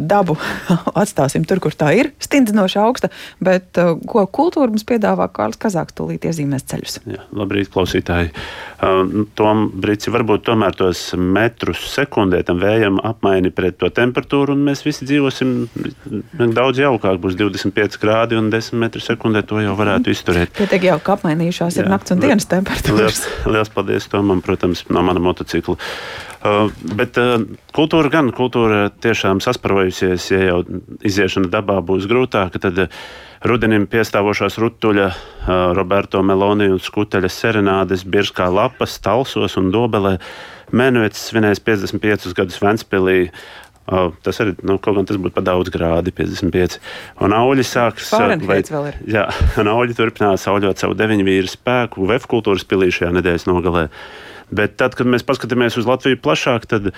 dabu atstāsim tur, kur tā ir, stindzinoši augsta, bet ko kultūra mums piedāvā, Kārlis Kazāks tūlīt iezīmēs ceļus. Jā, labrīt, klausītāji. Tom Brici, varbūt tomēr tos metrus sekundē tam vējam apmaini pret to temperatūru, un mēs visi dzīvosim daudz jaukāk, būs 25 grādi un 10 metru sekundē, to jau varētu izturēt. Pietiek jau, ka apmainījušās ir nakts un dienas temperatūras. Liels paldies Tomam, protams, no mana motocikla. Bet kultūra tiešām sasparojusies, ja jau iziešana dabā būs grūtāka, tad rudenim piestāvošās rutuļa, Roberto Meloni un Skuteļa serenādes Birskā lapas, Talsos un Dobelē. Mēnevecs svinēs 55 gadus Ventspilī. Tas arī, kaut gan tas būtu pa daudz grādi, 55. Un auļi sāks... Fahrenheits vēl ir. Jā, un auļi turpinās auļot savu 9 vīru spēku VF kultūras pilī šajā nedēļas nogalē. Bet tad, kad mēs paskatāmies uz Latviju plašāk, tad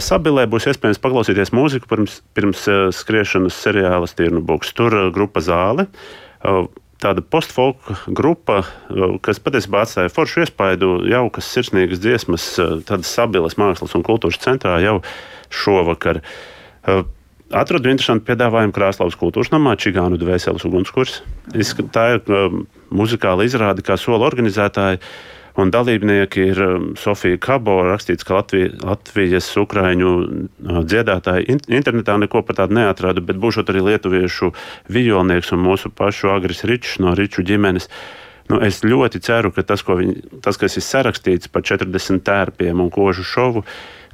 Sabilē būs iespējams paklausīties mūziku pirms skriešanas seriāla Stirnubuks. Tur grupa Zāle, tāda postfolka grupa, kas patiesībā atstāja foršu iespaidu, jaukas, sirsnīgas dziesmas, tādas Sabiles mākslas un kultūras centrā jau šovakar. Atradu interesantu piedāvājumu Krāslavas kultūras namā Čigānu dvēseles ugunskurs. Tā ir muzikāla izrāde, kā sola organizētāji. Un dalībnieki ir Sofija Kabo, rakstīts, ka Latvijas ukraiņu dziedātāji internetā neko par tādu neatradu, bet būšot arī lietuviešu vijolnieks un mūsu pašu Agris Ričs no Riču ģimenes. Es ļoti ceru, ka tas, kas ir sarakstīts par 40 tērpiem un kožu šovu,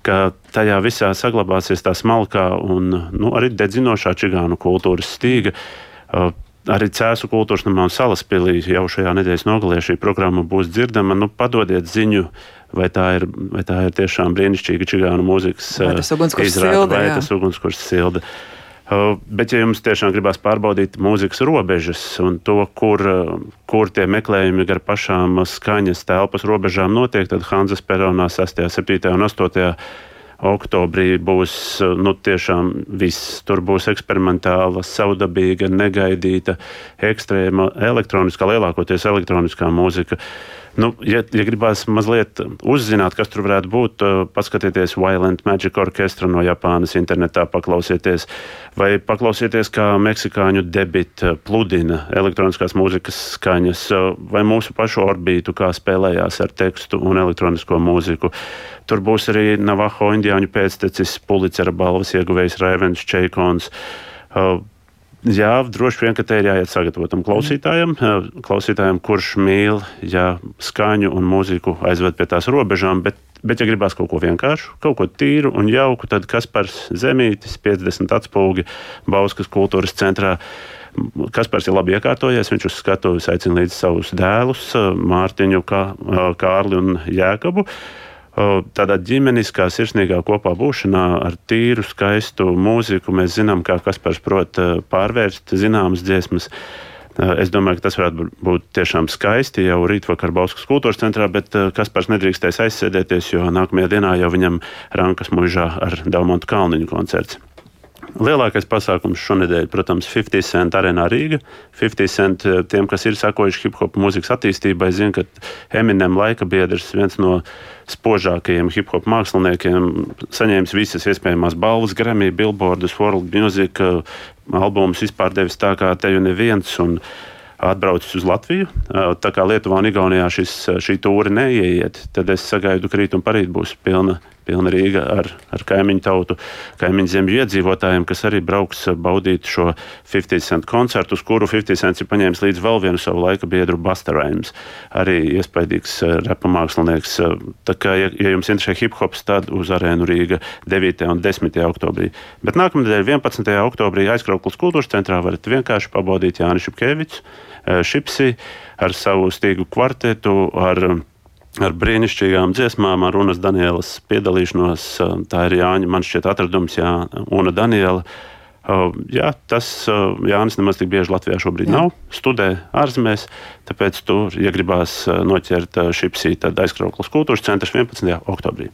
ka tajā visā saglabāsies tā smalkā un arī dedzinošā čigānu kultūras stīga. Arī Cēsu kultūras namā un Salaspilī jau šajā nedēļas nogalē šī programma būs dzirdama. Padodiet ziņu, vai tā ir tiešām brīnišķīga čigānu mūzikas izrāde, vai tas ugunskurs silda. Bet, ja jums tiešām gribās pārbaudīt mūzikas robežas un to, kur tie meklējumi gar pašām skaņas telpas robežām notiek, tad Hanzas peronā 6., 7. un 8. oktobrī būs tiešām viss. Tur būs eksperimentāla, savdabīga, negaidīta, ekstrēma, elektroniskā, lielākoties elektroniskā mūzika. Ja gribās mazliet uzzināt, kas tur varētu būt, paskatieties Violent Magic Orchestra no Japānas internetā, paklausieties, vai paklausieties, kā meksikāņu debit pludina elektroniskās mūzikas skaņas, vai mūsu pašu orbītu, kā spēlējās ar tekstu un elektronisko mūziku. Tur būs arī Navaho indiāņu pēctecis, Pulicera balvas ieguvējs Raivens Čeikons. Jā, droši vien, ka te ir jāiet sagatavotam klausītājam, kurš mīl skaņu un mūziku aizved pie tās robežām, bet ja gribās kaut ko vienkāršu, kaut ko tīru un jauku, tad Kaspars Zemītis, 50 atspulgi Bauskas kultūras centrā. Kaspars ir labi iekārtojies, viņš uz skatuves aicina līdz savus dēlus, Mārtiņu, Kārli un Jēkabu. Tādā ģimeniskā, sirsnīgā kopā būšanā ar tīru, skaistu mūziku mēs zinām, kā Kaspars prot pārvērst zināmas dziesmas. Es domāju, ka tas varētu būt tiešām skaisti jau rītvakar Bauskas kultūras centrā, bet Kaspars nedrīkstēs aizsēdēties, jo nākamajā dienā jau viņam Rankas mužā ar Daumantu Kalniņu koncerts. Lielākais pasākums šonedēļ, protams, 50 Cent arēnā Rīga. 50 Cent, tiem, kas ir sakojuši hip-hop mūzikas attīstībai, zina, ka Eminem laika biedrs, viens no spožākajiem hip-hop māksliniekiem, saņēmis visas iespējamās balvas, Grammy, Billboardus, World Music, albumus vispār devis tā kā te jau neviens un atbraucis uz Latviju. Tā kā Lietuvā un Igaunijā šī tūre neieiet, tad es sagaidu, ka rīt un parīt būs pilna Rīga ar kaimiņu tautu, kaimiņu zemju iedzīvotājiem, kas arī brauks baudīt šo 50 Cent koncertu, uz kuru 50 Cents ir paņēmis līdz vēl vienu savu laika biedru Busta Rhymes. Arī iespaidīgs repa mākslinieks. Tā kā, ja jums interesē hip-hops, tad uz arēnu Rīga 9. un 10. oktobrī. Bet nākamnedēļ 11. oktobrī Aizkrauklas kultūras centrā varat vienkārši pabaudīt Jāni Šipkevičs, Šipsi ar savu stīgu kvartetu, ar brīnišķīgām dziesmām, ar Unas Danielas piedalīšanos. Tā ir Jāņa, man šķiet, atradums, Una Daniela. Jānis nemaz tik bieži Latvijā šobrīd nav, studē ārzemēs, tāpēc tur, ja gribās noķert Šipsī, tad Aizkrauklas kultūras centrs 11. oktobrī.